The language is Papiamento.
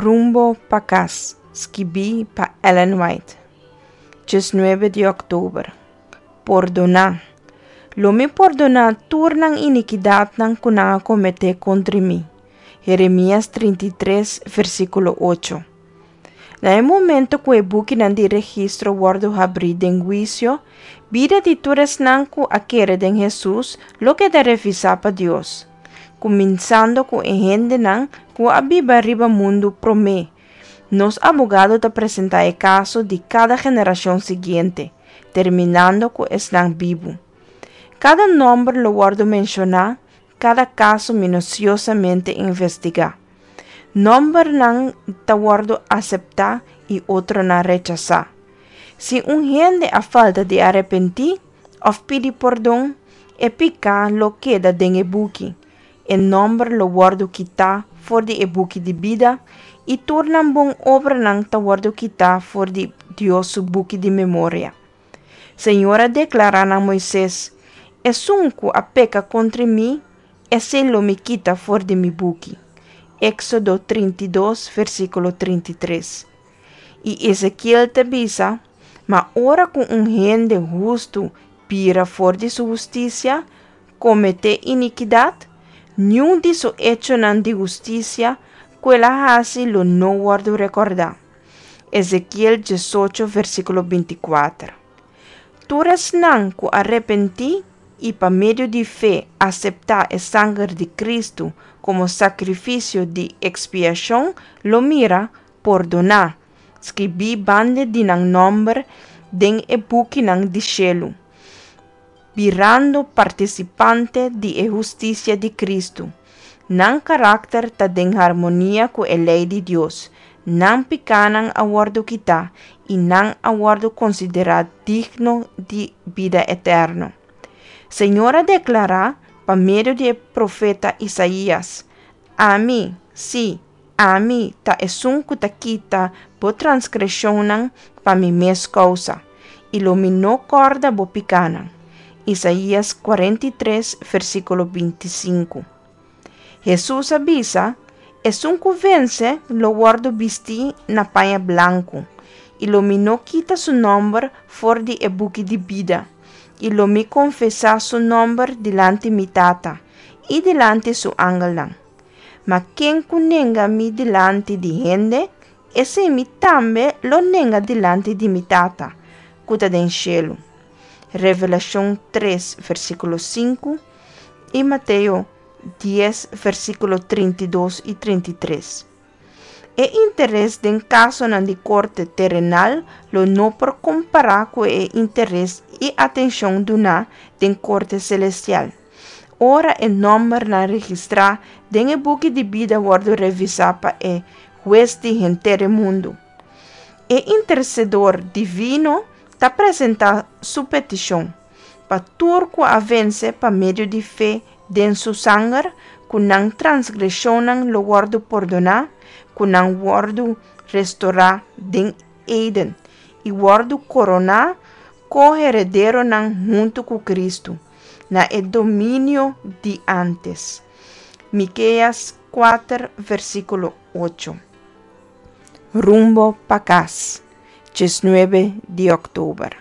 Rumbo pa kas, skibí pa Ellen White. 19 di òktober. Pordoná. Lo mi pordoná tur nan inikidatnan ku nan a kometé kontra mi. Jeremias 33, versíkulo 8. Na e momento ku e bukinan di registro wòrdu habrí den huisio, bida di tur esnan ku a kere den Hesus lo keda revisá pa Dios, kuminsando ku e hendenan ku a biba riba mundu promé. Nos abogado ta presentá e kaso di kada generashon siguiente, terminando ku esnan bibu. Kada nòmber lo wòrdu menshoná, kada kaso minusiosamente investigá. Nòmbernan ta wòrdu aseptá i otronan rechasá. Si un hende a falta di arepentí òf pidi pordon, e piká lo keda den e buki, e nòmber lo wòrdu kitá for di e buki di bida i tur nan bon obranan ta wòrdu kitá for di Dios su buki di memoria. Señor a deklará na Moises, Esun ku a peka kontra mi, esei lo mi kita for di mi buki. Éksodo 32, versíkulo 33. I Ezekiel ta bisa, Ma ora ku un hende hustu bira for di su hustisia, kometé inikidat, niun di su echonan di hustisia ku el a hasi lo no wòrdu rekordá. Ezekiel 18, versíkulo 24. Tur esnan ku a repentí i pa medio di fe aseptá e sanger di Kristu komo sakrifisio di ekspiashon lo mira pordoná, skibí banda di nan nòmber den e bukinan di shelu, birando partisipante di e hustisia di Kristu. Nan karakter ta den harmonia ku e lei di Dios, nan pikánan a wòrdu kitá i nan a wòrdu konsiderá digno di bida eterno. Señor a deklará pa medio di e profeta Isaías, Ami, sí, ami ta esun ku ta kita bo transgreshonnan pa mi mes kousa, i lo mi no kòrda bo pikánan. Isaías 43, versíkulo 25. Hesus a bisa, Esun ku vense lo wòrdu bistí na paña blanku, i lo mi no kita su nòmber for di e buki di bida, i lo mi konfesá su nòmber dilanti mi Tata i dilanti su angelnan. Ma ken ku nenga mi dilanti di hende, esei mi tambe lo nenga dilanti di mi Tata ku ta den shelu. Revelashon 3, versíkulo 5 i Mateo 10, versíkulo 32 i 33. E interes den kasonan di korte terenal lo no por kompará ku e interes i atenshon duná den korte selestial, ora e nòmbernan registrá den e buki di bida wòrdu revisá pa e Hues di henter e mundu. E Intersedor divino ta presentá su petishon pa tur ku a vense pa medio di fe den su sanger, ku nan transgreshonnan lo wòrdu pordoná, ku nan wòrdu restorá den Eden i wòrdu koroná ko-herederonan huntu ku Kristu na e dominio di ántes. Mikeas 4, versíkulo 8. Rumbo pa kas, 19 di òktober.